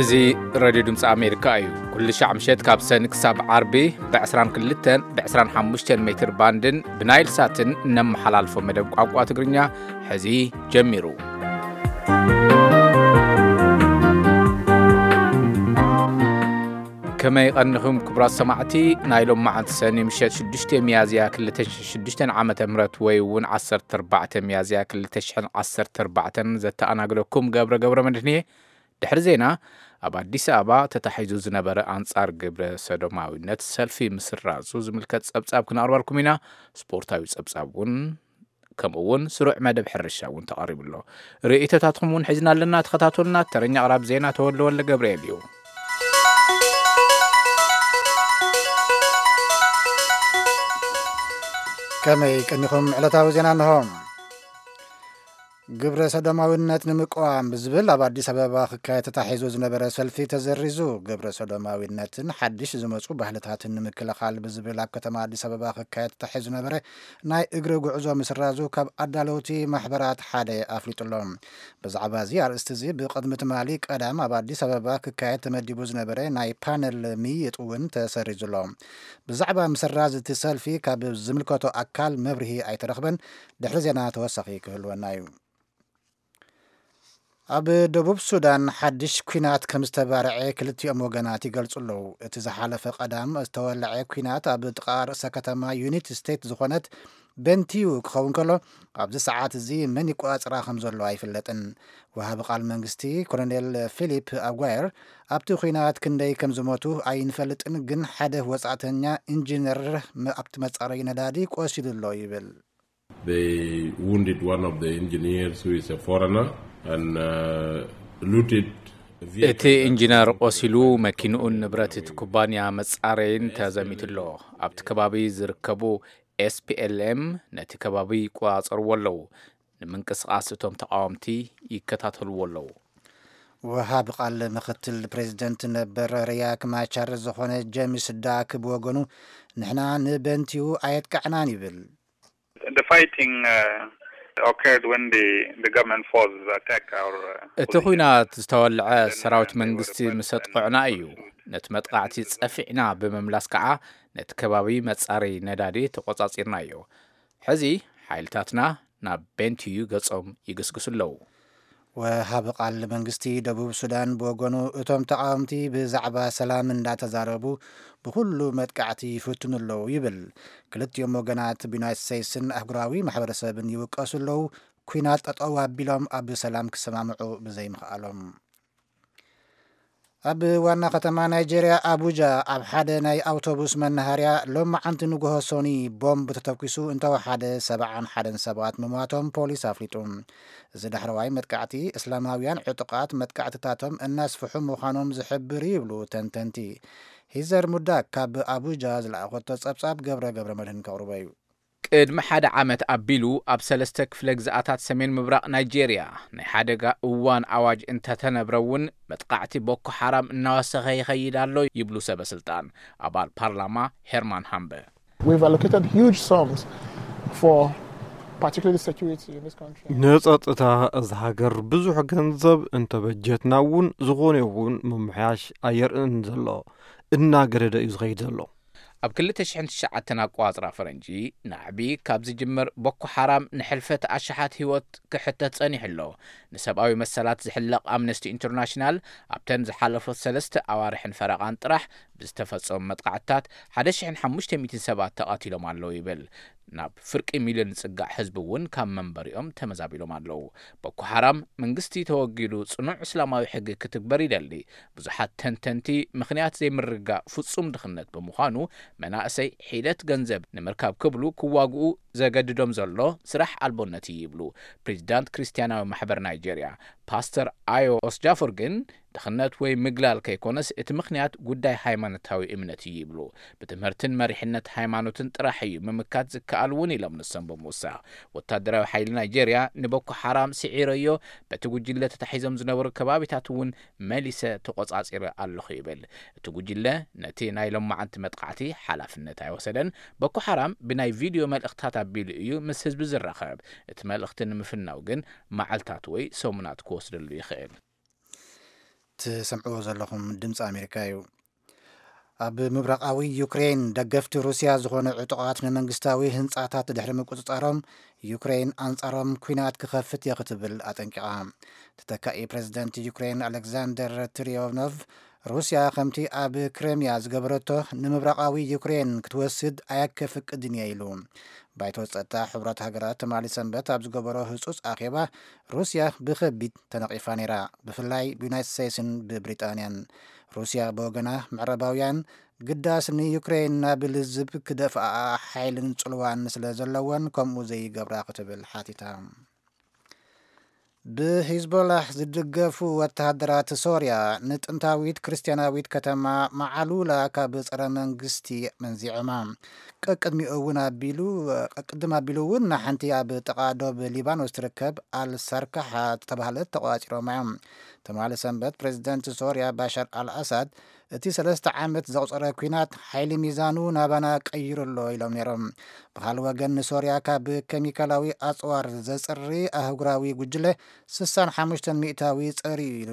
እዚ ሬድዮ ድምፂ ኣሜሪካ እዩ። ኩሉ ሻዕ ምሸት ካብ ሰኒ ክሳብ ዓርቢ ብ22 ብ25 ሜትር ባንድን ብናይል ሳትን እነመሓላልፎ መደብ ቋንቋ ትግርኛ ሕዚ ጀሚሩ። ከመይ ቀኒኹም ክቡራት ሰማዕቲ? ናይ ሎም መዓልቲ ሰኒ ምሸት ሽዱሽተ ሚያዝያ ክልተ ሽሕን ሽዱሽተን ዓመተ ምህረት ወይ እውን ዓሰርተ ኣርባዕተ ሚያዝያ ክልተ ሽሕን ዓሰርተ ኣርባዕተን ዘተኣናግደኩም ገብረ ገብረ መድህን እየ። ድሕሪ ዜና፣ ኣብ ኣዲስ ኣበባ ተታሒዙ ዝነበረ ኣንጻር ግብረ ሰዶማዊነት ሰልፊ ምስራዙ ዝምልከት ጸብጻብ ክነቕርበልኩም ኢና። ስፖርታዊ ጸብጻብ እውን፣ ከምኡ እውን ስሩዕ መደብ ሕርሻ እውን ተቐሪቡ ኣሎ። ርእይቶታትኩም እውን ሒዝና ኣለና። ተኸታተሉና። ተረኛ ኣቕራብ ዜና ተወልደ ወልደ ገብርኤል እዩ። ከመይ ቀኒኹም? ዕለታዊ ዜና እንሆ። ግብረ ሰዶማዊነት ንምቅዋም ብዝብል ኣብ ኣዲስ ኣበባ ክካየድ ተታሒዙ ዝነበረ ሰልፊ ተዘሪዙ። ግብረ ሰዶማዊነትን ሓድሽ ዝመጹ ባህልታትን ንምክልኻል ብዝብል ኣብ ከተማ ኣዲስ ኣበባ ክካየድ ተታሒዙ ዝነበረ ናይ እግሪ ጉዕዞ ምስራዙ ካብ ኣዳለውቲ ማሕበራት ሓደ ኣፍሊጡ ኣሎ። ብዛዕባ እዚ ኣርእስቲ እዚ ብቕድሚ ትማሊ ቀዳም ኣብ ኣዲስ ኣበባ ክካየድ ተመዲቡ ዝነበረ ናይ ፓነል ምይይጥ እውን ተሰሪዙ ኣሎ። ብዛዕባ ምስራዝ እቲ ሰልፊ ካብ ዝምልከቶ ኣካል መብርሂ ኣይተረኽበን። ድሕሪ ዜና ተወሳኺ ክህልወና እዩ። ኣብ ደቡብ ሱዳን ሓድሽ ኲናት ከም ዝተባርዐ ክልቲኦም ወገናት ይገልጹ ኣለዉ። እቲ ዝሓለፈ ቀዳም ዝተወልዐ ኲናት ኣብ ጥቓ ርእሰ ከተማ ዩኒት ስቴት ዝኾነት ቤንቲዩ ክኸውን ከሎ፣ ኣብዚ ሰዓት እዚ መን ይቆጻጸራ ከም ዘሎ ኣይፍለጥን። ወሃቢ ቃል መንግስቲ ኮሎኔል ፊሊፕ ኣጓየር፣ ኣብቲ ኲናት ክንደይ ከም ዝሞቱ ኣይንፈልጥን፣ ግን ሓደ ወጻእተኛ ኢንጂነር መ-፣ ኣብቲ መጻረዪ ነዳዲ ቆሲሉ ኣሎ ይብል። They wounded one of the engineers who is a foreigner and uh, looted a vehicle. እቲ ኢንጂነር ቆሲሉ፣ መኪንኡን ንብረት እቲ ኩባንያ መጻረይን ተዘሚቱ ኣሎ። ኣብቲ ከባቢ ዝርከቡ ኤስፒኤልኤም ነቲ ከባቢ ይቆጻጸርዎ ኣለዉ። ንምንቅስቓስ እቶም ተቓወምቲ ይከታተልዎ ኣለዉ። ወሃቢ ቃል ምክትል ፕሬዚደንት ነበር ሪያክ ማቻር ዝኾነ ጄምስ ዳክ ብወገኑ፣ ንሕና ንበንቲዩ ኣየጥቃዕናን ይብል። The fighting uh, occurred when the, the government forces attacked our uh, እቲ position. ኲናት ዝተወልዐ And, uh, ሰራዊት they were መንግስቲ repulsed ምስ and ኣጥቅዑና እዩ። Pursued. ነቲ መጥቃዕቲ ጸፊዕና ብምምላስ ከዓ ነቲ ከባቢ መጻረዪ ነዳዲ ተቆጻጺርናዮ። ሕዚ ሓይልታትና ናብ ቤንቲዩ ገጾም ይግስግሱ ኣለዉ። ወሃቢ ቃል መንግስቲ ደቡብ ሱዳን ብወገኑ፣ እቶም ተቓወምቲ ብዛዕባ ሰላም እንዳተዛረቡ ብኹሉ መጥቃዕቲ ይፍትኑ ኣለዉ ይብል። ክልቲኦም ወገናት ብዩናይትድ ስቴትስን ኣህጉራዊ ማሕበረሰብን ይውቀሱ ኣለዉ፣ ኲናት ጠጠው ኣቢሎም ኣብ ሰላም ክሰማምዑ ብዘይምኽኣሎም። ኣብ ዋና ከተማ ናይጄርያ ኣቡጃ፣ ኣብ ሓደ ናይ ኣውቶቡስ መናሃርያ ሎማዓንቲ ንግሆ ሶኒ ቦምብ ተተኲሱ እንተወሓደ ሰብዓን ሓደን ሰባት ምሟቶም ፖሊስ ኣፍሊጡ። እዚ ዳሕረዋይ መጥቃዕቲ፣ እስላማውያን ዕጡቓት መጥቃዕትታቶም እናስፍሑ ምዃኖም ዝሕብር እዩ ይብሉ ተንተንቲ። ሂዘር ሙዳክ ካብ ኣቡጃ ዝለኣኾቶ ጸብጻብ ገብረ ገብረ መድህን ከቕርቦ እዩ። ቅድሚ ሓደ ዓመት ኣቢሉ ኣብ ሰለስተ ክፍለ ግዝኣታት ሰሜን ምብራቕ ናይጄርያ ናይ ሓደጋ እዋን ኣዋጅ እንተተነብረ እውን፣ መጥቃዕቲ ቦኮ ሓራም እናወሰኸ ይኸይድ ኣሎ ይብሉ ሰበ ስልጣን። ኣባል ፓርላማ ሄርማን ሃምበ። We've allocated huge sums for particularly security in this country. ንጸጥታ እዛ ሃገር ብዙሕ ገንዘብ እንተበጀትና እውን፣ ዝኾነ ይኹን ምምሕያሽ ኣየርእን ዘሎ፣ እናገደደ እዩ ዝኸይድ ዘሎ። ኣብ ክልተ ሽሕን ትሽዓተን ኣቆጻጽራ ፈረንጂ፣ ናዕቢ ካብ ዝጅምር፣ ቦኮ ሓራም ንሕልፈት ኣሽሓት ህይወት ክሕተት ጸኒሑ ኣሎ። ንሰብኣዊ መሰላት ዝሕለቕ ኣምነስቲ ኢንተርናሽናል፣ ኣብተን ዝሓለፉ ሰለስተ ኣዋርሕን ፈረቓን ጥራሕ ብዝተፈጸሙ መጥቃዕትታት ሓደ ሽሕን ሓሙሽተ ሚእትን ሰባት ተቐቲሎም ኣለዉ ይብል። ናብ ፍርቂ ሚልዮን ዝጽጋዕ ህዝቢ እውን ካብ መንበሪኦም ተመዛቢሎም ኣለዉ። ቦኮ ሓራም መንግስቲ ተወጊዱ ጽኑዕ እስላማዊ ሕጊ ክትግበር ይደሊ። ብዙሓት ተንተንቲ፣ ምኽንያት ዘይምርግጋእ ፍጹም ድኽነት ብምዃኑ፣ መናእሰይ ሒደት ገንዘብ ንምርካብ ክብሉ ክዋግኡ ዘገድዶም ዘሎ ስራሕ ኣልቦነት እዩ ይብሉ። ፕሬዚዳንት ክርስትያናዊ ማሕበር ናይጄርያ ፓስተር ኣዮ ኦስጃፎር ግን፣ ድኽነት ወይ ምግላል ከይኮነስ፣ እቲ ምኽንያት ጉዳይ ሃይማኖታዊ እምነት እዩ ይብሉ። ብትምህርትን መሪሕነት ሃይማኖትን ጥራሕ እዩ ምምካት ዝከኣል እውን ኢሎም ንሶም ብምውሳኽ። ወታደራዊ ሓይሊ ናይጄርያ ንቦኮ ሓራም ስዒረዮ፣ በቲ ጉጅለ ተታሒዞም ዝነበሩ ከባቢታት እውን መሊሰ ተቆጻጺረ ኣለኹ ይብል። እቲ ጉጅለ ነቲ ናይ ሎማዓንቲ መጥቃዕቲ ሓላፍነት ኣይወሰደን። ቦኮ ሓራም ብናይ ቪድዮ መልእኽትታት ኣቢሉ እዩ ምስ ህዝቢ ዝራኸብ። እቲ መልእኽቲ ንምፍናው ግን መዓልታት ወይ ሰሙናት ክወስደሉ ይኽእል። ትሰምዕዎ ዘለኹም ድምፂ ኣሜሪካ እዩ። ኣብ ምብራቓዊ ዩክሬን ደገፍቲ ሩስያ ዝኾነ ዕጡቓት ንመንግስታዊ ህንፃታት ድሕሪ ምቁፅፃሮም፣ ዩክሬን ኣንጻሮም ኲናት ክኸፍት እየ ክትብል ኣጠንቂቓ። ተተካኢ ፕረዚደንት ዩክሬን ኣሌክዛንደር ትሪዮኖቭ፣ ሩስያ ከምቲ ኣብ ክሬምያ ዝገበረቶ ንምብራቓዊ ዩክሬን ክትወስድ ኣየከፍቅድን እየ ኢሉ። ባይቶ ጸጥታ ሕቡራት ሃገራት ትማሊ ሰንበት ኣብ ዝገበሮ ህጹጽ ኣኼባ፣ ሩስያ ብኸቢድ ተነቒፋ ነይራ፣ ብፍላይ ብዩናይትድ ስቴትስን ብብሪጣንያን። ሩስያ ብወገና፣ ምዕራባውያን ግዳስ ንዩክሬን ናብ ልዝብ ክደፍኣኣ ሓይልን ጽልዋን ስለ ዘለወን ከምኡ ዘይገብራ ክትብል ሓቲታ። ብሂዝቦላህ ዝድገፉ ወተሃደራት ሶርያ ንጥንታዊት ክርስትያናዊት ከተማ መዓሉላ ካብ ጸረ መንግስቲ መንዚዖማ። ቀቅድሚኡ እውን ኣቢሉ ቀቅድም ኣቢሉ እውን ንሓንቲ ኣብ ጥቓ ዶብ ሊባኖስ ትርከብ ኣልሰርካሓ ዝተባህለት ተቋጺሮማ እዮም። ትማሊ ሰንበት ፕሬዚደንት ሶርያ ባሻር ኣልኣሳድ እቲ ሰለስተ ዓመት ዘቑጸረ ኲናት ሓይሊ ሚዛኑ ናባና ቀይሩ ኣሎ ኢሎም ነይሮም። ብኻልእ ወገን ንሶርያ ካብ ኬሚካላዊ ኣጽዋር ዘጽሪ ኣህጉራዊ ጉጅለ ስሳን ሓሙሽተን ሚእታዊ ጸርዩ ኢሉ።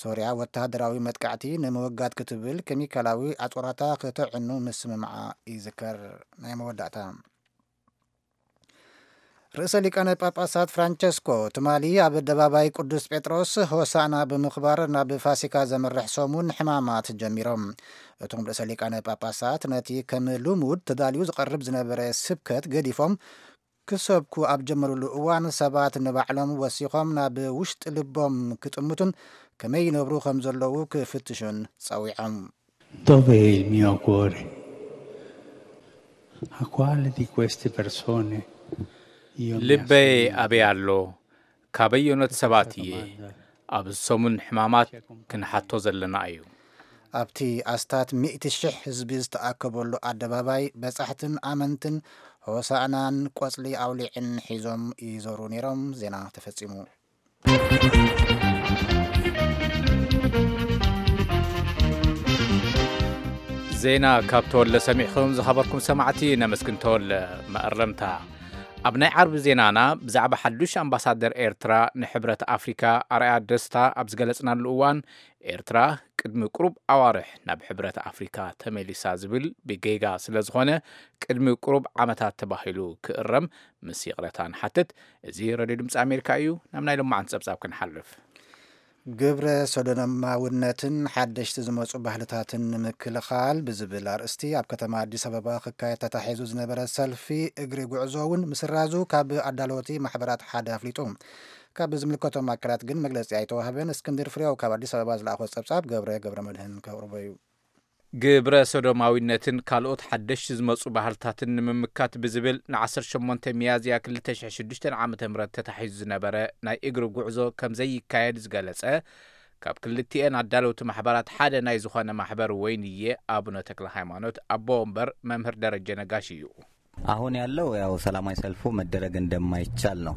ሶርያ ወተሃደራዊ መጥቃዕቲ ንምውጋድ ክትብል ኬሚካላዊ ኣጽዋራታ ክተዕኑ ምስምማዓ ይዝከር። ናይ መወዳእታ። ርእሰ ሊቃነ ጳጳሳት ፍራንቸስኮ ትማሊ ኣብ ኣደባባይ ቅዱስ ጴጥሮስ ሆሳዕና ብምኽባር ናብ ፋሲካ ዘምርሕ ሰሙን ሕማማት ጀሚሮም። እቶም ርእሰ ሊቃነ ጳጳሳት ነቲ ከም ልሙድ ተዳልዩ ዝቐርብ ዝነበረ ስብከት ገዲፎም ክሰብኩ ኣብ ጀመሩሉ እዋን ሰባት ንባዕሎም ወሲኾም ናብ ውሽጢ ልቦም ክጥምቱን ከመይ ይነብሩ ከም ዘለዉ ክፍትሹን ጸዊዖም። Dov'è il mio cuore? A quale di queste persone io mi ልበይ assomiglio? ኣበይ ኣሎ? ካበየኖት ሰባት እየ? ኣብዚ ሰሙን ሕማማት ክንሓቶ ዘለና እዩ። ኣብቲ ኣስታት ሚእቲ ሽሕ ህዝቢ ዝተኣከበሉ ኣደባባይ በጻሕትን ኣመንትን ሆሳእናን ቆጽሊ ኣውሊዕን ሒዞም ይዞሩ ነይሮም። ዜና ተፈጺሙ። ዜና ካብ ተወለ ሰሚዕኹም ዝኸበርኩም ሰማዕቲ ነመስግን። ተወለ። መእረምታ። ኣብ ናይ ዓርቢ ዜናና ብዛዕባ ሓዱሽ ኣምባሳደር ኤርትራ ንሕብረት ኣፍሪካ ኣርኣያ ደስታ ኣብ ዝገለጽናሉ እዋን፣ ኤርትራ ቅድሚ ቁሩብ ኣዋርሕ ናብ ሕብረት ኣፍሪካ ተመሊሳ ዝብል ብጌጋ ስለ ዝኾነ፣ ቅድሚ ቁሩብ ዓመታት ተባሂሉ ክእረም ምስ ይቕረታ ንሓትት። እዚ ሬድዮ ድምፂ ኣሜሪካ እዩ። ናብ ናይ ሎማዓንቲ ጸብጻብ ክንሓልፍ። ግብረ ሰዶማውነትን ሓደሽቲ ዝመፁ ባህልታትን ንምክልኻል ብዝብል ኣርእስቲ ኣብ ከተማ ኣዲስ ኣበባ ክካየድ ተታሒዙ ዝነበረ ሰልፊ እግሪ ጉዕዞ እውን ምስራዙ ካብ ኣዳለወቲ ማሕበራት ሓደ ኣፍሊጡ። ካብ ዝምልከቶም ኣካላት ግን መግለፂ ኣይተዋህበን። እስክንድር ፍሬው ካብ ኣዲስ ኣበባ ዝለኣኾ ፀብፃብ ገብረ ገብረ መድህን ከቕርቦ እዩ። ግብረ ሰዶማዊነትን ካልኦት ሓደሽቲ ዝመፁ ባህልታትን ንምምካት ብዝብል ን18 ሚያዝያ ክልተ ሽሕን ሽዱሽተን ዓመተ ምህረት ተታሒዙ ዝነበረ ናይ እግሪ ጉዕዞ ከም ዘይካየድ ዝገለጸ፣ ካብ ክልቲኤን ኣዳለውቲ ማሕበራት ሓደ ናይ ዝኾነ ማሕበር ወይንዬ ኣቡነ ተክለ ሃይማኖት ኣቦ ወንበር መምህር ደረጀ ነጋሽ እዩ። አሁን ያለው ያው ሰላማዊ ሰልፉ መደረግ እንደማይቻል ነው።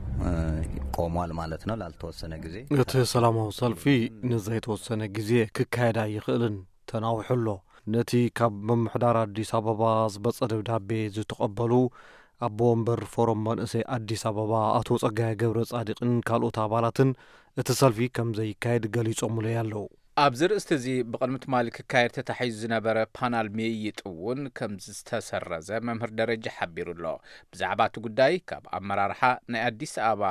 ቆሟል ማለት ነው ላልተወሰነ ጊዜ። እቲ ሰላማዊ ሰልፊ ንዘይተወሰነ ግዜ ክካየድ ኣይኽእልን፣ ተናዊሑ ኣሎ። ነቲ ካብ ምምሕዳር ኣዲስ ኣበባ ዝመጸ ደብዳቤ ዝተቐበሉ ኣቦ ወንበር ፎረም መንእሰይ ኣዲስ ኣበባ ኣቶ ጸጋየ ገብረ ጻድቅን ካልኦት ኣባላትን እቲ ሰልፊ ከም ዘይካየድ ገሊጾምለይ ኣለዉ። ኣብዚ ርእስቲ እዚ ብቕድሚ ትማሊ ክካየድ ተታሒዙ ዝነበረ ፓናል ምይይጥ እውን ከም ዝተሰረዘ መምህር ደረጀ ሓቢሩ ኣሎ። ብዛዕባ እቲ ጉዳይ ካብ ኣመራርሓ ናይ ኣዲስ ኣበባ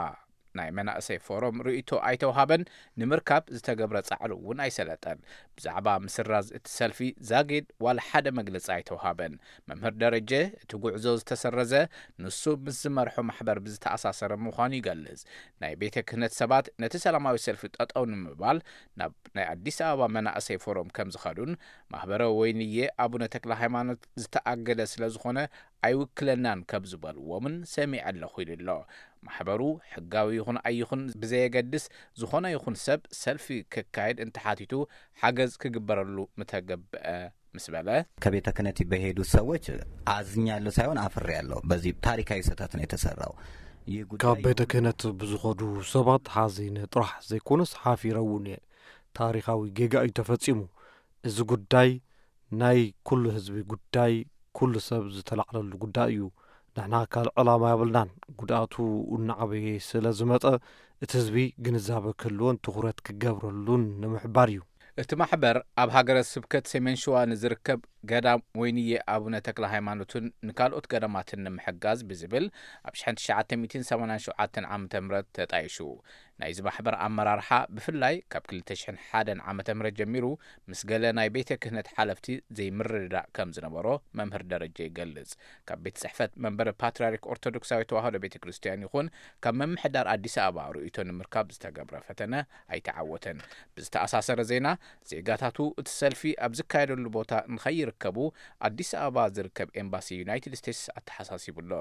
ናይ መናእሰይ ፎረም ርእይቶ ኣይተውሃበን፣ ንምርካብ ዝተገብረ ጻዕሪ እውን ኣይሰለጠን። ብዛዕባ ምስራዝ እቲ ሰልፊ ዛጊድ ዋላ ሓደ መግለጺ ኣይተውሃበን። መምህር ደረጀ እቲ ጉዕዞ ዝተሰረዘ ንሱ ምስ ዝመርሖ ማሕበር ብዝተኣሳሰረ ምዃኑ ይገልጽ። ናይ ቤተ ክህነት ሰባት ነቲ ሰላማዊ ሰልፊ ጠጠው ንምባል ናብ ናይ ኣዲስ ኣበባ መናእሰይ ፎረም ከም ዝኸዱን ማህበረ ወይንዬ ኣቡነ ተክለ ሃይማኖት ዝተኣገደ ስለ ዝኾነ ኣይውክለናን ከም ዝበልዎምን ሰሚዐ ኣለኹ ኢሉ ኣሎ። ማሕበሩ ሕጋዊ ይኹን ኣይኹን ብዘየገድስ ዝኾነ ይኹን ሰብ ሰልፊ ክካየድ እንተሓቲቱ ሓገዝ ክግበረሉ ምተገብአ ምስ በለ፣ ከቤተ ክህነት በሄዱት ሰዎች አዝኛለሁ ሳይሆን አፍሬያለሁ። በዚህ ታሪካዊ ስህተት ነው የተሰራው። ይህ ጉዳይ ካብ ቤተ ክህነት ብዝኸዱ ሰባት ሓዚነ ጥራሕ ዘይኮነስ ሓፊረ እውን እየ። ታሪኻዊ ጌጋ እዩ ተፈጺሙ። እዚ ጉዳይ ናይ ኩሉ ህዝቢ ጉዳይ፣ ኩሉ ሰብ ዝተላዕለሉ ጉዳይ እዩ። ንሕና ካልእ ዕላማ የብልናን። ጉድኣቱ እናዓበየ ስለ ዝመጸ እቲ ህዝቢ ግንዛበ ክህልዎን ትኹረት ክገብረሉን ንምሕባር እዩ። እቲ ማሕበር ኣብ ሃገረ ስብከት ሰሜን ሸዋ ንዝርከብ ገዳም ወይንየ ኣቡነ ተክለ ሃይማኖትን ንካልኦት ገዳማትን ንምሕጋዝ ብዝብል ኣብ ሸሕዓተ ሚእትን ሰማንያን ሸውዓተን ዓመተ ምህረት ተጣይሹ። ናይዚ ማሕበር ኣመራርሓ ብፍላይ ካብ ክልተ ሽሕን ሓደን ዓመተ ምህረት ጀሚሩ ምስ ገለ ናይ ቤተ ክህነት ሓለፍቲ ዘይምርድዳእ ከም ዝነበሮ መምህር ደረጀ ይገልጽ። ካብ ቤት ጽሕፈት መንበረ ፓትርያርክ ኦርቶዶክሳዊት ተዋህዶ ቤተ ክርስቲያን ይኹን ካብ ምምሕዳር ኣዲስ ኣበባ ርእይቶ ንምርካብ ዝተገብረ ፈተነ ኣይተዓወተን። ብዝተኣሳሰረ ዜና፣ ዜጋታቱ እቲ ሰልፊ ኣብ ዝካየደሉ ቦታ ንኸይርከቡ ኣዲስ ኣበባ ዝርከብ ኤምባሲ ዩናይትድ ስቴትስ ኣተሓሳሲቡ ኣሎ።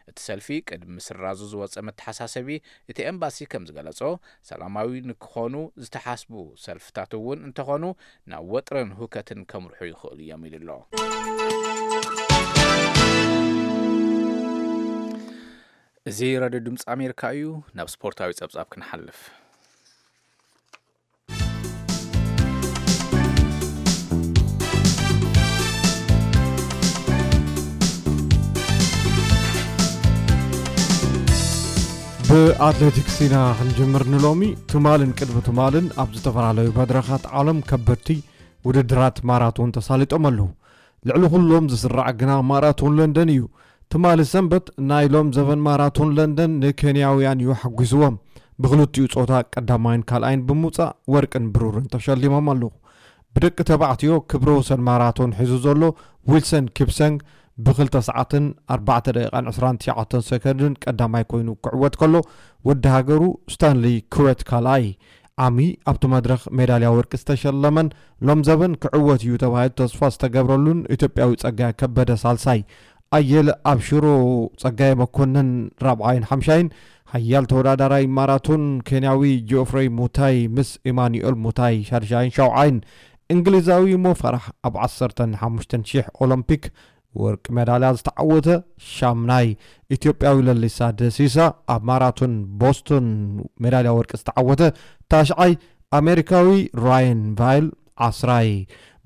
እቲ ሰልፊ ቅድሚ ምስራዙ ዝወጸ መተሓሳሰቢ፣ እቲ ኤምባሲ ከም ዝገለጾ፣ ሰላማዊ ንክኾኑ ዝተሓስቡ ሰልፍታት እውን እንተኾኑ ናብ ወጥርን ሁከትን ከምርሑ ይኽእሉ እዮም ኢሉ ኣሎ። እዚ ራድዮ ድምፂ ኣሜሪካ እዩ። ናብ ስፖርታዊ ጸብጻብ ክንሓልፍ። ብኣትሌቲክስ ኢና ክንጅምር ንሎሚ። ትማልን ቅድሚ ትማልን ኣብ ዝተፈላለዩ መድረኻት ዓለም ከበድቲ ውድድራት ማራቶን ተሳሊጦም ኣለዉ። ልዕሊ ኩሎም ዝስራዕ ግና ማራቶን ለንደን እዩ። ትማሊ ሰንበት ናይ ሎም ዘበን ማራቶን ለንደን ንኬንያውያን እዩ ሓጒስዎም። ብክልቲኡ ጾታ ቀዳማይን ካልኣይን ብምውጻእ ወርቅን ብሩርን ተሸሊሞም ኣለዉ። ብደቂ ተባዕትዮ ክብረ ወሰን ማራቶን ሒዙ ዘሎ ዊልሰን ኪፕሰንግ ብክልተ ሰዓትን ኣርባዕተ ደቂቓን ዕስራን ትሽዓተን ሰከንድን ቀዳማይ ኮይኑ ክዕወት ከሎ፣ ወዲ ሃገሩ ስታንሊ ክወት ካልኣይ። ዓሚ ኣብቲ መድረኽ ሜዳልያ ወርቂ ዝተሸለመን ሎም ዘበን ክዕወት እዩ ተባሂሉ ተስፋ ዝተገብረሉን ኢትዮጵያዊ ጸጋይ ከበደ ሳልሳይ፣ ኣየለ ኣብሽሮ፣ ጸጋይ መኮነን ራብዓይን ሓምሻይን፣ ሓያል ተወዳዳራይ ማራቶን ኬንያዊ ጂኦፍሬይ ሙታይ ምስ ኢማኑኤል ሙታይ ሻድሻይን ሻውዓይን፣ እንግሊዛዊ ሞ ፈራሕ ኣብ ዓሰርተን ሓሙሽተን ሺሕ ኦሎምፒክ ወርቂ ሜዳልያ ዝተዓወተ ሻምናይ፣ ኢትዮጵያዊ ለሊሳ ደሲሳ ኣብ ማራቶን ቦስቶን ሜዳልያ ወርቂ ዝተዓወተ ታሽዓይ፣ ኣሜሪካዊ ራየን ቫይል ዓስራይ።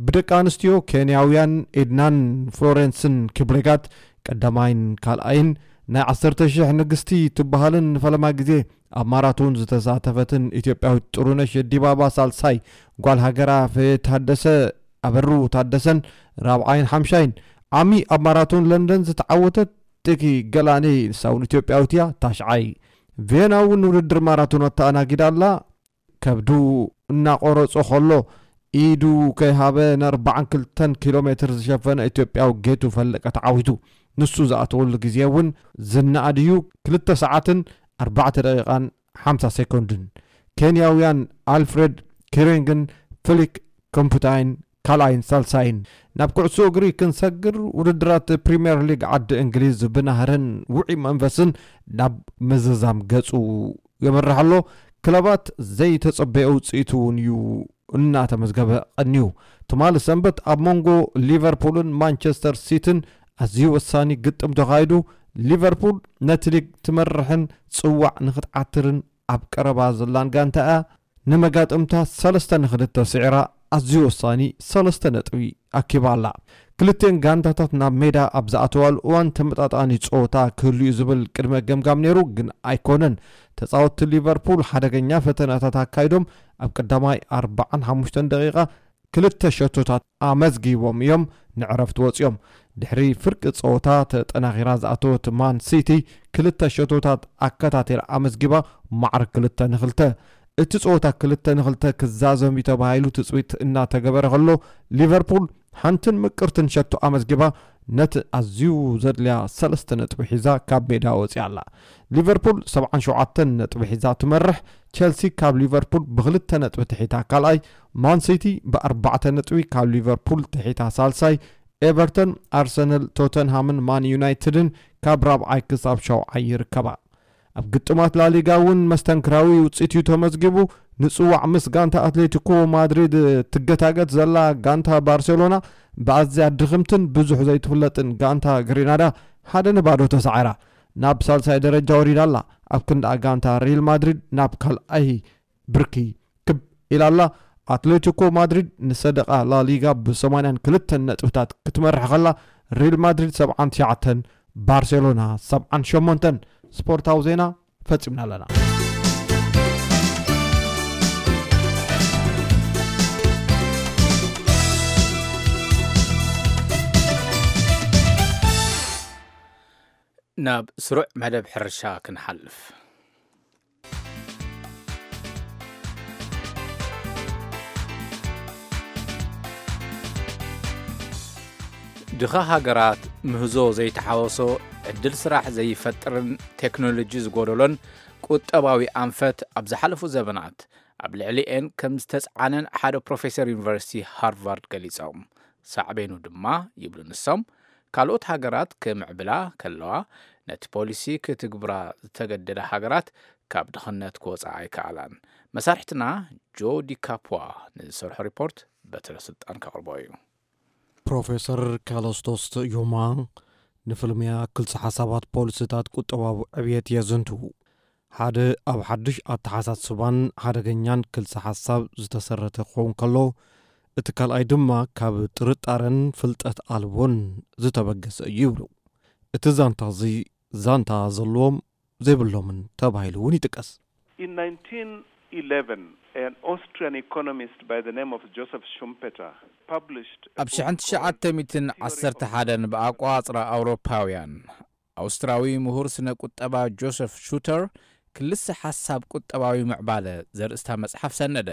ብደቂ ኣንስትዮ ኬንያውያን ኤድናን ፍሎረንስን ኪፕሌጋት ቀዳማይን ካልኣይን፣ ናይ ዓሰርተ ሺሕ ንግስቲ ትበሃልን ንፈለማ ግዜ ኣብ ማራቶን ዝተሳተፈትን ኢትዮጵያዊት ጥሩነሽ ዲባባ ሳልሳይ፣ ጓል ሃገራ ፍሬ ታደሰ፣ ኣበሩ ታደሰን ራብዓይን ሓምሻይን። ዓሚ ኣብ ማራቶን ለንደን ዝተዓወተት ጥቂ ገላኔ ንሳ እውን ኢትዮጵያዊት እያ፣ ታሽዓይ። ቬና እውን ውድድር ማራቶን ኣተኣናጊዳ ኣላ። ከብዱ እናቆረጾ ከሎ ኢዱ ከይሃበ ንኣርባዓን ክልተን ኪሎ ሜትር ዝሸፈነ ኢትዮጵያዊ ጌቱ ፈለቀ ተዓዊቱ። ንሱ ዝኣተወሉ ግዜ እውን ዝነኣድ እዩ፣ ክልተ ሰዓትን ኣርባዕተ ደቂቓን ሓምሳ ሴኮንድን። ኬንያውያን ኣልፍሬድ ኪሬንግን ፍሊክ ኮምፑታይን ካልኣይን ሳልሳይን። ናብ ኩዕሶ እግሪ ክንሰግር፣ ውድድራት ፕሪምየር ሊግ ዓዲ እንግሊዝ ብናህርን ውዑይ መንፈስን ናብ ምዝዛም ገጹ የምርሕ ኣሎ። ክለባት ዘይተጸበየ ውጽኢት እውን እዩ እናተመዝገበ ቀንዩ። ትማሊ ሰንበት ኣብ መንጎ ሊቨርፑልን ማንቸስተር ሲቲን ኣዝዩ ወሳኒ ግጥም ተኻይዱ። ሊቨርፑል ነቲ ሊግ ትመርሕን ጽዋዕ ንኽትዓትርን ኣብ ቀረባ ዘላን ጋንታ እያ። ንመጋጥምታ ሰለስተ ንኽልተ ስዒራ ኣዝዩ ወሳኒ ሰለስተ ነጥቢ ኣኪባ ኣላ። ክልቲኤን ጋንታታት ናብ ሜዳ ኣብ ዝኣተዋሉ እዋን ተመጣጣኒ ጸወታ ክህሉ እዩ ዝብል ቅድመ ገምጋም ነይሩ፣ ግን ኣይኮነን። ተጻወትቲ ሊቨርፑል ሓደገኛ ፈተነታት ኣካይዶም ኣብ ቀዳማይ ኣርባዓን ሓሙሽተን ደቂቓ ክልተ ሸቶታት ኣመዝጊቦም እዮም ንዕረፍቲ ወጺኦም። ድሕሪ ፍርቂ ጸወታ ተጠናኺራ ዝኣተወት ማን ሲቲ ክልተ ሸቶታት ኣከታቲላ ኣመዝጊባ ማዕረ ክልተ ንክልተ። እቲ ጸወታ ክልተ ንክልተ ክዛዘም እዩ ተባሂሉ ትጽቢት እናተገበረ ከሎ፣ ሊቨርፑል ሓንትን ምቅርትን ሸቶ ኣመዝጊባ ነቲ ኣዝዩ ዘድልያ ሰለስተ ነጥቢ ሒዛ ካብ ሜዳ ወጺኣ ኣላ። ሊቨርፑል ሰብዓን ሸውዓተን ነጥቢ ሒዛ ትመርሕ። ቸልሲ ካብ ሊቨርፑል ብክልተ ነጥቢ ትሒታ ካልኣይ፣ ማን ሲቲ ብኣርባዕተ ነጥቢ ካብ ሊቨርፑል ትሒታ ሳልሳይ፣ ኤቨርተን፣ ኣርሰናል፣ ቶተንሃምን ማን ዩናይትድን ካብ ራብዓይ ክሳብ ሻውዓይ ይርከባ። ኣብ ግጥማት ላሊጋ እውን መስተንክራዊ ውፅኢት እዩ ተመዝጊቡ። ንፅዋዕ ምስ ጋንታ ኣትሌቲኮ ማድሪድ ትገታገት ዘላ ጋንታ ባርሴሎና ብኣዝያ ድኽምትን ብዙሕ ዘይትፍለጥን ጋንታ ግሪናዳ ሓደ ንባዶ ተሳዒራ ናብ ሳልሳይ ደረጃ ወሪዳ ኣላ። ኣብ ክንዳ ጋንታ ሪል ማድሪድ ናብ ካልኣይ ብርኪ ክብ ኢላ ኣላ። ኣትሌቲኮ ማድሪድ ንሰደቓ ላሊጋ ብሰማንያን ክልተን ነጥብታት ክትመርሕ ከላ፣ ሪል ማድሪድ ሰብዓን ትሽዓተን፣ ባርሴሎና ሰብዓን ሸሞንተን። ስፖርታዊ ዜና ፈጺምና ኣለና። ናብ ስሩዕ መደብ ሕርሻ ክንሓልፍ። ድኻ ሃገራት ምህዞ ዘይተሓወሶ፣ ዕድል ስራሕ ዘይፈጥርን ቴክኖሎጂ ዝጎደሎን ቁጠባዊ ኣንፈት ኣብ ዝሓለፉ ዘበናት ኣብ ልዕሊኤን ከም ዝተጽዓነን ሓደ ፕሮፌሰር ዩኒቨርሲቲ ሃርቫርድ ገሊጾም። ሳዕቤኑ ድማ፣ ይብሉ ንሶም፣ ካልኦት ሃገራት ክምዕብላ ከለዋ፣ ነቲ ፖሊሲ ክትግብራ ዝተገደዳ ሃገራት ካብ ድኽነት ክወጻ ኣይከኣላን። መሳርሕትና ጆ ዲካፖዋ ንዝሰርሖ ሪፖርት በትረ ስልጣን ከቕርቦ እዩ። ፕሮፌሰር ካለስቶስ ዮማ ንፍልምያ ክልተ ሓሳባት ፖሊሲታት ቁጠባዊ ዕብየት የዘንትዉ። ሓደ ኣብ ሓድሽ ኣተሓሳስባን ሓደገኛን ክልተ ሓሳብ ዝተሰረተ ክኸውን ከሎ፣ እቲ ካልኣይ ድማ ካብ ጥርጣረን ፍልጠት ኣልቦን ዝተበገሰ እዩ ይብሉ። እቲ ዛንታ እዚ ዛንታ ዘለዎም ዘይብሎምን ተባሂሉ እውን ይጥቀስ። In nineteen eleven, an Austrian economist by the name of Joseph Schumpeter published a ኣብ book called ሽሕን ትሽዓተ ሚእትን ዓሰርተ ሓደን ብኣቋጽራ ኣውሮፓውያን፣ ኣውስትራዊ ምሁር ስነ ቁጠባ ጆሰፍ ሹተር ክልሰ ሓሳብ ቁጠባዊ ምዕባለ ዘርእስታ መጽሓፍ ሰነደ።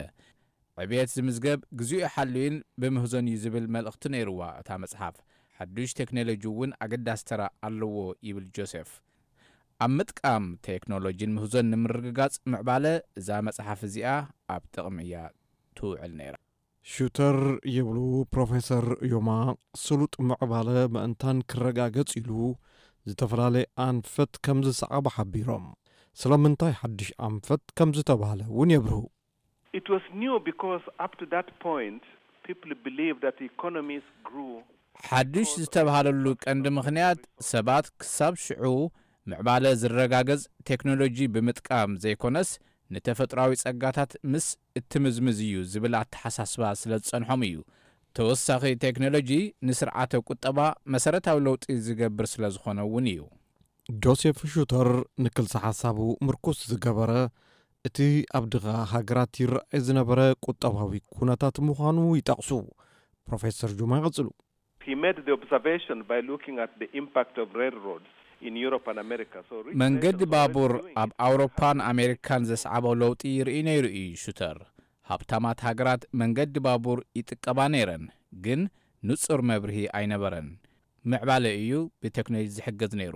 ዕብየት ዝምዝገብ ግዜኡ ሓልዩን ብምህዞን እዩ ዝብል መልእኽቲ ነይርዋ እታ መጽሓፍ። ሓዱሽ ቴክኖሎጂ እውን ኣገዳሲ ተራ ኣለዎ ይብል ጆሴፍ። ኣብ ምጥቃም ቴክኖሎጂን ምህዞን ንምርግጋጽ ምዕባለ እዛ መጽሓፍ እዚኣ ኣብ ጥቕሚ እያ ትውዕል ነይራ። ሹተር ይብሉ ፕሮፌሰር ዮማ፣ ስሉጥ ምዕባለ ምእንታን ክረጋገጽ ኢሉ ዝተፈላለየ ኣንፈት ከም ዝሰዓበ ሓቢሮም፣ ስለምንታይ ሓድሽ ኣንፈት ከም ዝተባህለ እውን የብርሁ። It was new because up to that point, people believed that economies grew ሓድሽ ዝተባህለሉ ቀንዲ ምኽንያት፣ ሰባት ክሳብ ሽዑ ምዕባለ ዝረጋገጽ ቴክኖሎጂ ብምጥቃም ዘይኮነስ፣ ንተፈጥሮኣዊ ጸጋታት ምስ እትምዝምዝ እዩ ዝብል ኣተሓሳስባ ስለ ዝጸንሖም እዩ። ተወሳኺ ቴክኖሎጂ ንስርዓተ ቁጠባ መሰረታዊ ለውጢ ዝገብር ስለ ዝኾነ እውን እዩ። ጆሴፍ ሹተር ንክልሰ ሓሳቡ ምርኩስ ዝገበረ፣ እቲ ኣብ ድኻ ሃገራት ይረኣይ ዝነበረ ቁጠባዊ ኩነታት ምዃኑ ይጠቕሱ። ፕሮፌሰር ጁማ ይቕጽሉ። He made the observation by looking at the impact of railroads in Europe and America. So rich መንገዲ nations ባቡር already doing ኣብ it. ኣውሮፓን ኣሜሪካን ዘስዓቦ ለውጢ ይርኢ ነይሩ እዩ ሹተር። ሃብታማት ሃገራት መንገዲ ባቡር ይጥቀባ ነይረን፣ ግን ንጹር መብርሂ ኣይነበረን። ምዕባለ እዩ ብቴክኖሎጂ ዝሕገዝ ነይሩ።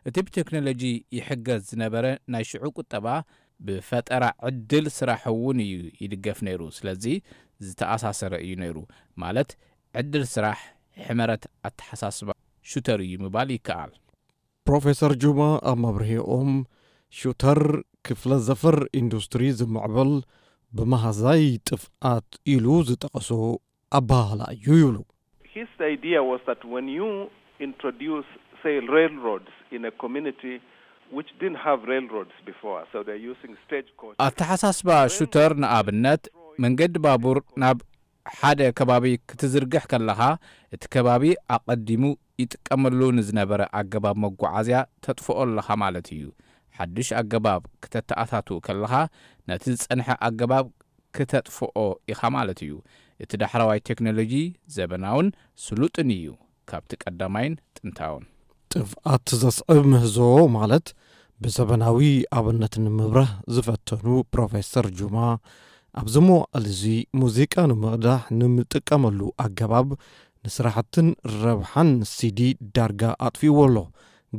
እቲ ብቴክኖሎጂ ይሕገዝ ዝነበረ ናይ ሽዑ ቁጠባ ብፈጠራ ዕድል ስራሕ እውን እዩ ይድገፍ ነይሩ። ስለዚ ዝተኣሳሰረ እዩ ነይሩ። ማለት ዕድል ስራሕ ሕመረት ኣተሓሳስባ ሹተር እዩ ምባል ይከኣል። ፕሮፌሰር ጁማ ኣብ መብርሂኦም፣ ሹተር ክፍለ ዘፈር ኢንዱስትሪ ዝምዕብል ብመሃዛይ ጥፍኣት ኢሉ ዝጠቐሶ ኣበሃህላ እዩ ይብሉ። His idea was that when you introduce, say, railroads in a community which didn't have railroads before, so they're using stagecoaches. ኣተሓሳስባ ሹተር ንኣብነት መንገዲ ባቡር ናብ ሓደ ከባቢ ክትዝርግሕ ከለኻ፣ እቲ ከባቢ ኣቐዲሙ ይጥቀመሉ ንዝነበረ ኣገባብ መጓዓዝያ ተጥፍኦ ኣለኻ ማለት እዩ። ሓድሽ ኣገባብ ክተተኣታትው ከለኻ፣ ነቲ ዝጸንሐ ኣገባብ ክተጥፍኦ ኢኻ ማለት እዩ። እቲ ዳሕረዋይ ቴክኖሎጂ ዘበናውን ስሉጥን እዩ ካብቲ ቀዳማይን ጥንታውን። ጥፍኣት ዘስዕብ ምህዞ ማለት ብዘበናዊ ኣብነት ንምብራህ ዝፈተኑ ፕሮፌሰር ጁማ፣ ኣብዚ መዋእል እዚ ሙዚቃ ንምቕዳሕ ንምጥቀመሉ ኣገባብ ንስራሕትን ረብሓን ሲዲ ዳርጋ ኣጥፊእዎ ኣሎ።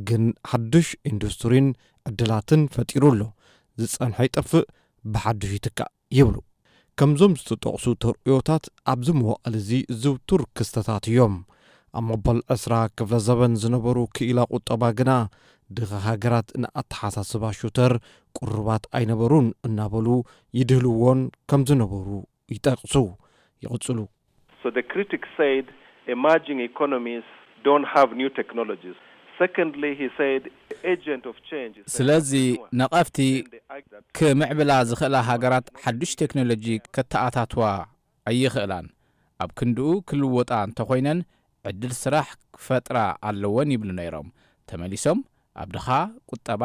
ግን ሓድሽ ኢንዱስትሪን ዕድላትን ፈጢሩ ኣሎ። ዝጸንሐ ይጠፍእ፣ ብሓድሽ ይትካእ ይብሉ። ከምዞም ዝተጠቕሱ ተርእዮታት ኣብዚ መዋእል እዚ ዝውቱር ክስተታት እዮም። ኣብ መበል ዕስራ ክፍለ ዘበን ዝነበሩ ክኢላ ቁጠባ ግና ድኻ ሃገራት ንኣተሓሳስባ ሹተር ቅሩባት ኣይነበሩን እናበሉ ይድህልዎን ከም ዝነበሩ ይጠቕሱ። ይቕጽሉ። So the critics said emerging economies don't have new technologies. Secondly, he said the agent of change is the ስለዚ entrepreneur. ነቐፍቲ Then they argue that ክምዕብላ ዝኽእላ ሃገራት ሓድሽ ቴክኖሎጂ ከተኣታትዋ ኣይኽእላን። ኣብ ክንድኡ ክልወጣ እንተኾይነን ዕድል ስራሕ ክፈጥራ ኣለወን ይብሉ ነይሮም። ተመሊሶም ኣብ ድኻ ቁጠባ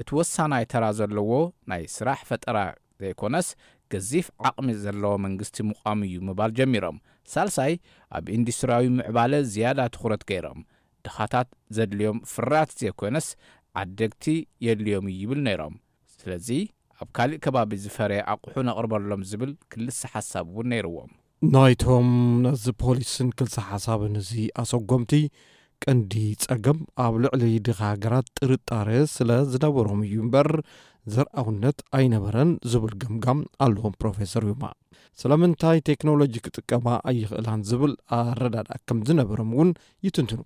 እቲ ወሳናይ ተራ ዘለዎ ናይ ስራሕ ፈጠራ ዘይኮነስ ገዚፍ ዓቕሚ ዘለዎ መንግስቲ ምቋም እዩ ምባል ጀሚሮም። ሳልሳይ ኣብ ኢንዱስትሪያዊ ምዕባለ ዝያዳ ትኹረት ገይሮም። ድኻታት ዘድልዮም ፍርያት ዘይኮነስ ዓደግቲ የድልዮም እዩ ይብል ነይሮም። ስለዚ ኣብ ካልእ ከባቢ ዝፈረየ ኣቑሑ ነቕርበሎም ዝብል ክልሰ ሓሳብ እውን ነይርዎም። ናይቶም ነዚ ፖሊስን ክልሰ ሓሳብን እዚ ኣሰጎምቲ ቀንዲ ጸገም ኣብ ልዕሊ ድኻ ሃገራት ጥርጣረ ስለ ዝነበሮም እዩ እምበር ዘርኣውነት ኣይነበረን ዝብል ገምጋም ኣለዎም ፕሮፌሰር ዩማ። ስለምንታይ ቴክኖሎጂ ክጥቀማ ኣይኽእላን ዝብል ኣረዳድኣ ከም ዝነበሮም እውን ይትንትኑ።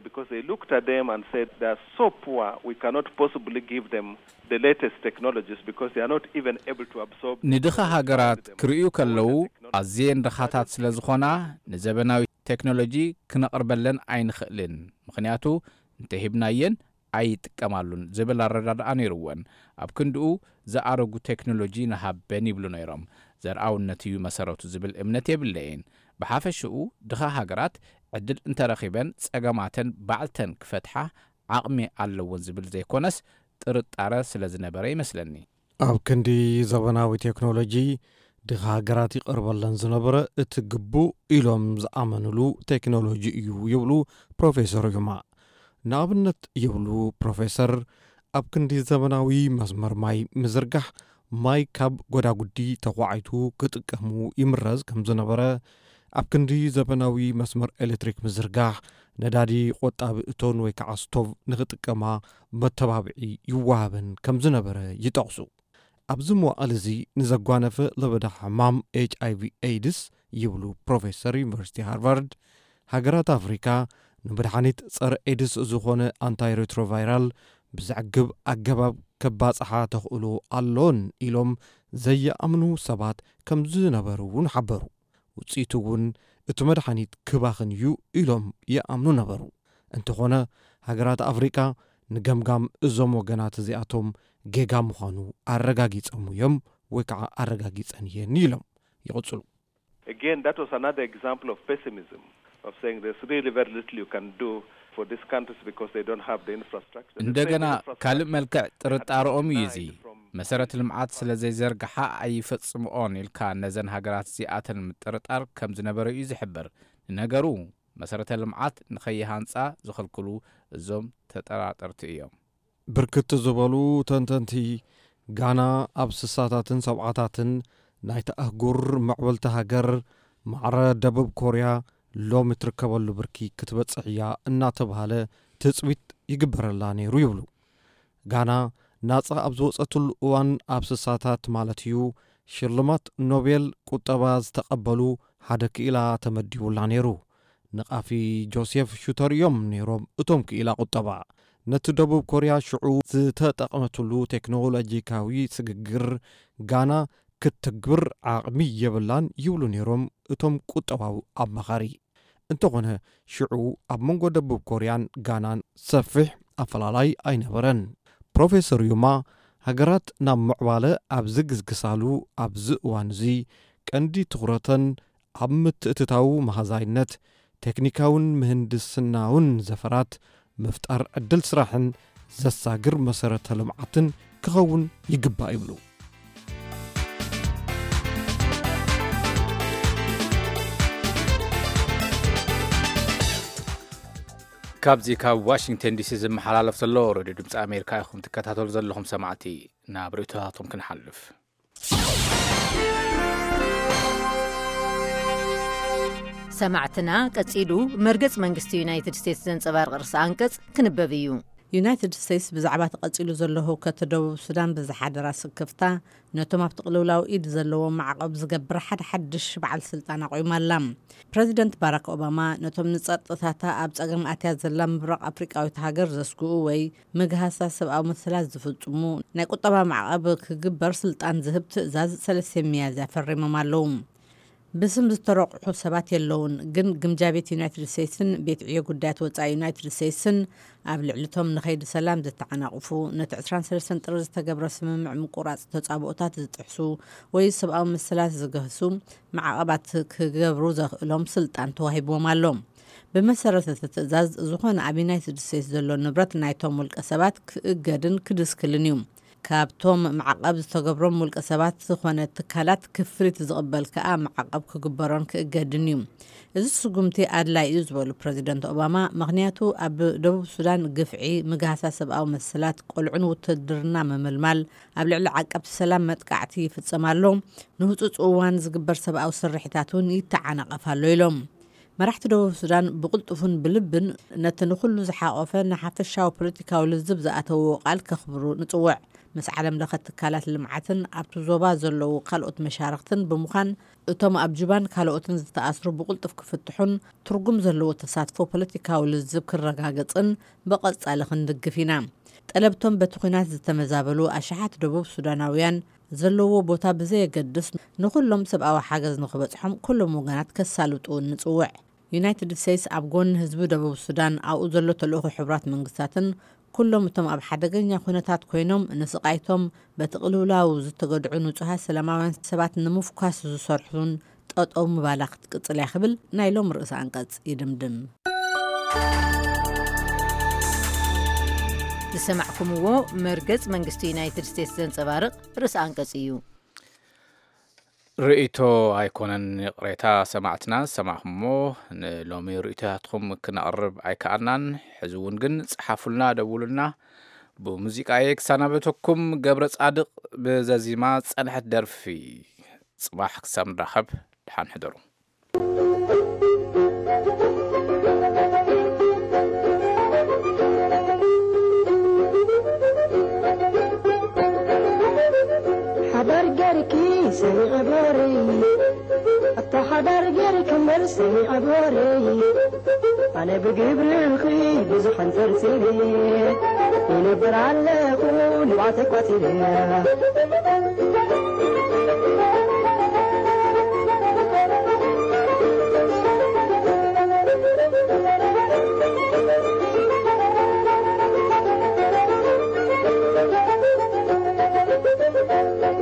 Because they looked at them and said, "They are so poor, we cannot possibly give them the latest technologies because they are not even able to absorb the ንድኻ ሃገራት ክርእዩ ከለዉ ኣዝየን ድኻታት ስለ ዝኾና ንዘበናዊ ቴክኖሎጂ ክነቕርበለን ኣይንኽእልን፣ ምኽንያቱ እንተሂብናየን ኣይጥቀማሉን ዝብል ኣረዳድኣ ነይርወን። ኣብ ክንድኡ ዝኣረጉ ቴክኖሎጂ ንሃበን ይብሉ ነይሮም። ዘርኣውነት እዩ መሰረቱ ዝብል እምነት የብለይን። ብሓፈሽኡ ድኻ ሃገራት ዕድል እንተረኺበን ጸገማተን ባዕልተን ክፈትሓ ዓቕሚ ኣለወን ዝብል ዘይኮነስ ጥርጣረ ስለ ዝነበረ ይመስለኒ። ኣብ ክንዲ ዘበናዊ ቴክኖሎጂ ድኻ ሃገራት ይቐርበለን ዝነበረ እቲ ግቡእ ኢሎም ዝኣመንሉ ቴክኖሎጂ እዩ ይብሉ ፕሮፌሰር ዩማ። ንኣብነት ይብሉ ፕሮፌሰር ኣብ ክንዲ ዘበናዊ መስመር ማይ ምዝርጋሕ ማይ ካብ ጎዳጉዲ ተኳዒቱ ክጥቀሙ ይምረዝ ከም ዝነበረ ኣብ ክንዲ ዘበናዊ መስመር ኤሌክትሪክ ምዝርጋሕ ነዳዲ ቆጣቢ እቶን ወይ ከዓ ስቶቭ ንክጥቀማ መተባብዒ ይወሃበን ከም ዝነበረ ይጠቕሱ። ኣብዚ መዋእል እዚ ንዘጓነፈ ለበዳ ሕማም ኤች ኣይቪ ኤድስ ይብሉ ፕሮፌሰር ዩኒቨርሲቲ ሃርቫርድ ሃገራት ኣፍሪካ ንመድሓኒት ጸረ ኤድስ ዝኾነ ኣንታይ ሬትሮቫይራል ብዘዕግብ ኣገባብ ከባጽሓ ተኽእሎ ኣሎን ኢሎም ዘየኣምኑ ሰባት ከም ዝነበሩ እውን ሓበሩ። ውፅኢቱ እውን እቲ መድሓኒት ክባኽን እዩ ኢሎም ይኣምኑ ነበሩ። እንተኾነ ሃገራት ኣፍሪቃ ንገምጋም እዞም ወገናት እዚኣቶም ጌጋ ምዃኑ ኣረጋጊጾም እዮም ወይ ከዓ ኣረጋጊጸን እየን ኢሎም ይቕጽሉ። Again, that was another example of pessimism, of saying there's really very little you can do for these countries because they don't have the infrastructure. The same እንደገና infrastructure ካልእ መልክዕ ጥርጣረኦም እዩ እዚ። መሰረተ ልምዓት ስለ ዘይዘርግሓ ኣይፈጽምኦን ኢልካ ነዘን ሃገራት እዚኣተን ምጥርጣር ከም ዝነበረ እዩ ዝሕብር። ንነገሩ መሰረተ ልምዓት ንኸይሃንጻ ዝኽልክሉ እዞም ተጠራጠርቲ እዮም። ብርክት ዝበሉ ተንተንቲ ጋና ኣብ ስሳታትን ሰብዓታትን ናይቲ ኣህጉር ምዕብልቲ ሃገር ማዕረ ደቡብ ኮርያ ሎሚ ትርከበሉ ብርኪ ክትበጽሕ እያ እናተባህለ ትጽቢት ይግበረላ ነይሩ ይብሉ። ጋና ናጻ ኣብ ዝወጸትሉ እዋን ኣብ ስሳታት ማለት እዩ ሽልማት ኖቤል ቁጠባ ዝተቐበሉ ሓደ ክኢላ ተመዲቡላ ነይሩ። ንቃፊ ጆሴፍ ሹተር እዮም ነይሮም እቶም ክኢላ ቁጠባ። ነቲ ደቡብ ኮርያ ሽዑ ዝተጠቕመትሉ ቴክኖሎጂካዊ ስግግር ጋና ክትትግብር ዓቕሚ የብላን ይብሉ ነይሮም እቶም ቁጠባዊ ኣማኻሪ። እንተኾነ ሽዑ ኣብ መንጎ ደቡብ ኮርያን ጋናን ሰፊሕ ኣፈላላይ ኣይነበረን። ፕሮፌሰር ዩማ ሃገራት ናብ ምዕባለ ኣብ ዝግስግሳሉ ኣብዚ እዋን እዚ ቀንዲ ትኹረተን ኣብ ምትእትታው መሃዛይነት ቴክኒካውን ምህንድስናውን ዘፈራት ምፍጣር ዕድል ስራሕን ዘሳግር መሰረተ ልምዓትን ክኸውን ይግባእ ይብሉ። ካብዚ ካብ ዋሽንግተን ዲሲ ዝመሓላለፍ ዘሎ ሬድዮ ድምፂ ኣሜሪካ ኢኹም ትከታተሉ ዘለኹም ሰማዕቲ። ናብ ርእይቶታቶም ክንሓልፍ። ሰማዕትና ቀጺሉ መርገጽ መንግስቲ ዩናይትድ ስቴትስ ዘንጸባርቕ ርእሲ ኣንቀጽ ክንበብ እዩ። ዩናይትድ ስቴትስ ብዛዕባ ተቐጺሉ ዘሎ ህውከት ደቡብ ሱዳን ብዝሓደራ ስክፍታ ነቶም ኣብቲ ቅልውላው ኢድ ዘለዎም ማዕቐብ ዝገብር ሓደ ሓድሽ በዓል ስልጣን ኣቑማ ኣላ። ፕረዚደንት ባራክ ኦባማ ነቶም ንጸጥታታ ኣብ ጸገም ኣትያ ዘላ ምብራቕ ኣፍሪቃዊት ሃገር ዘስግኡ ወይ ምግሃሳ ሰብኣዊ መሰላት ዝፍጽሙ ናይ ቁጠባ ማዕቐብ ክግበር ስልጣን ዝህብ ትእዛዝ ሰለስተ ሚያዝያ ፈሪሞም ኣለዉ። ብስም ዝተረቑሑ ሰባት የለውን፣ ግን ግምጃ ቤት ዩናይትድ ስቴትስን ቤት ዕዮ ጉዳያት ወጻኢ ዩናይትድ ስቴትስን ኣብ ልዕሊቶም ንኸይዲ ሰላም ዝተዓናቕፉ፣ ነቲ ዕስራን ሰለስተን ጥሪ ዝተገብረ ስምምዕ ምቁራጽ ተጻብኦታት ዝጥሕሱ ወይ ሰብኣዊ መሰላት ዝገህሱ ማዕቐባት ክገብሩ ዘኽእሎም ስልጣን ተዋሂብዎም ኣሎ። ብመሰረት እቲ ትእዛዝ ዝኾነ ኣብ ዩናይትድ ስቴትስ ዘሎ ንብረት ናይቶም ውልቀ ሰባት ክእገድን ክድስክልን እዩ። ካብቶም ማዕቐብ ዝተገብሮም ውልቀ ሰባት ዝኾነ ትካላት ክፍሊት ዝቕበል ከኣ ማዕቐብ ክግበሮን ክእገድን እዩ። እዚ ስጉምቲ ኣድላይ እዩ ዝበሉ ፕረዚደንት ኦባማ፣ ምኽንያቱ ኣብ ደቡብ ሱዳን ግፍዒ፣ ምግሃሳ ሰብኣዊ መሰላት፣ ቆልዑን ውትድርና ምምልማል፣ ኣብ ልዕሊ ዓቀብቲ ሰላም መጥቃዕቲ ይፍጸም ኣሎ። ንህጹጽ እዋን ዝግበር ሰብኣዊ ስርሒታት እውን ይተዓናቐፍ ኣሎ ኢሎም። መራሕቲ ደቡብ ሱዳን ብቕልጡፍን ብልብን ነቲ ንኹሉ ዝሓቖፈ ንሓፈሻዊ ፖለቲካዊ ልዝብ ዝኣተውዎ ቃል ከኽብሩ ንጽውዕ። ምስ ዓለም ለኸ ትካላት ልምዓትን ኣብቲ ዞባ ዘለዉ ካልኦት መሻርኽትን ብምዃን፣ እቶም ኣብ ጁባን ካልኦትን ዝተኣስሩ ብቕልጡፍ ክፍትሑን ትርጉም ዘለዎ ተሳትፎ ፖለቲካዊ ልዝብ ክረጋገጽን ብቐጻሊ ክንድግፍ ኢና። ጠለብቶም በቲ ኲናት ዝተመዛበሉ ኣሽሓት ደቡብ ሱዳናውያን ዘለዎ ቦታ ብዘየገድስ፣ ንኹሎም ሰብኣዊ ሓገዝ ንኽበጽሖም ኩሎም ወገናት ከሳልጡ ንጽውዕ። ዩናይትድ ስቴትስ ኣብ ጎኒ ህዝቢ ደቡብ ሱዳን፣ ኣብኡ ዘሎ ተልእኾ ሕቡራት መንግስታትን ኩሎም እቶም ኣብ ሓደገኛ ኩነታት ኮይኖም ንስቓይቶም በቲ ቅልውላው ዝተገድዑ ንጹሃት ሰላማውያን ሰባት ንምፍኳስ ዝሰርሑን ጠጠው ምባላ ክትቅጽል እያ ክብል ናይ ሎም ርእሰ ኣንቀጽ ይድምድም። ዝሰማዕኩምዎ መርገጽ መንግስቲ ዩናይትድ ስቴትስ ዘንጸባርቕ ርእሰ ኣንቀጽ እዩ። ርእይቶ ኣይኮነን፣ ይቕሬታ ሰማዕትና ዝሰማዕኹሞ። ንሎሚ ርእይቶታትኩም ክነቕርብ ኣይከኣልናን። ሕዚ እውን ግን ጸሓፉልና፣ ደውሉልና። ብሙዚቃ እየ ክሰናበተኩም። ገብረ ጻድቕ ብዘዚማ ዝጸንሐት ደርፊ። ጽባሕ ክሳብ ንራኸብ፣ ደሓን ሕደሩ። ሓዳር ገርኪ ሰሚዐ ጎረይ፣ ኣታ ሓዳር ገርኪ እምበር ሰሚዐ ጎረይ። ኣነ ብግብርኺ ብዙሕ ኣንጸርጺረ፣ ይነብር ኣለኹ ንብዓተይ ቋጺረ።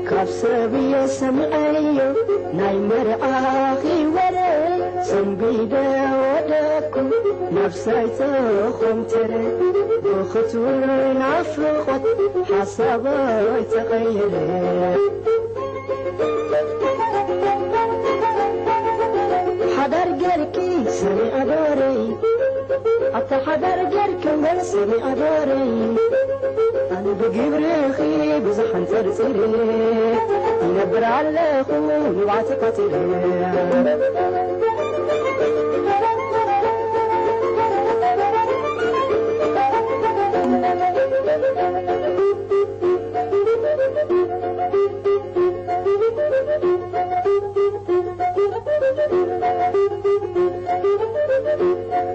ካብ ሰብ እየ ሰሚዐዮ ናይ መርዓኺ ወረ፣ ሰንቢደ ወደኩ ነብሰይ ተኾምተረ። ብኽትውር ናፍቖት ሓሳበይ ተቐየረ። ሓዳር ገርኪ ሰሚዐ ጎረይ፣ ኣታ ሓዳር ገርኪ እምበር ሰሚዐ ጎረይ። ኣነ ብግብርኺ ብዙሕ ኣንጸርጺረ፣ ይነብር ኣለኹ ንብዓት ቋጺረ።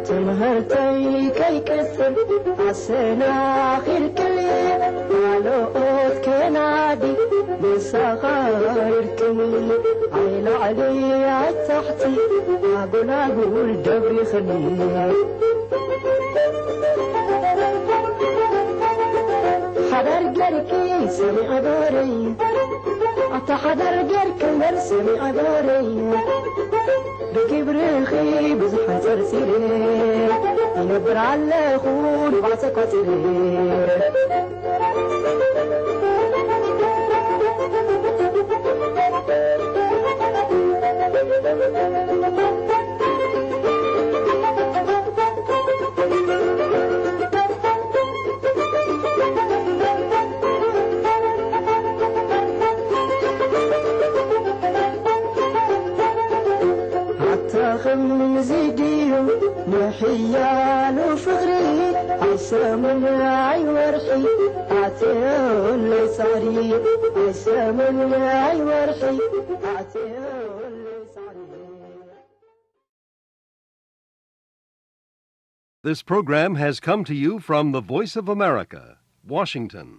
ትምህርተይ ከይቅጽል ኣሰናኺልክኒ፣ ካልኦት ከናዲ መሳኻይርክኒ። ኣይላዕሊ ኣይታሕቲ ኣጎላጉል ደብሪኽኒ። ሓዳር ገርኪ ሰሚዐ ጎረይ፣ ኣታ ሓዳር ገርኪ እምበር ሰሚዐ ጎረይ። ብግብርኺ ብዙሕ ኣንጸርጺረ፣ ይነብር ኣለኹ ንብዓት ቋጺረ። ኣታ ኸምዚ ድዩ ምሕያሉ ፍቕሪ? ኣይሰሙን ኣይወርሒ ኣትየለይ ጻዕሪ፣ ኣይሰሙን ኣይወርሒ ኣትየለይ ጻዕሪ። This program has come to you from the Voice of America, Washington.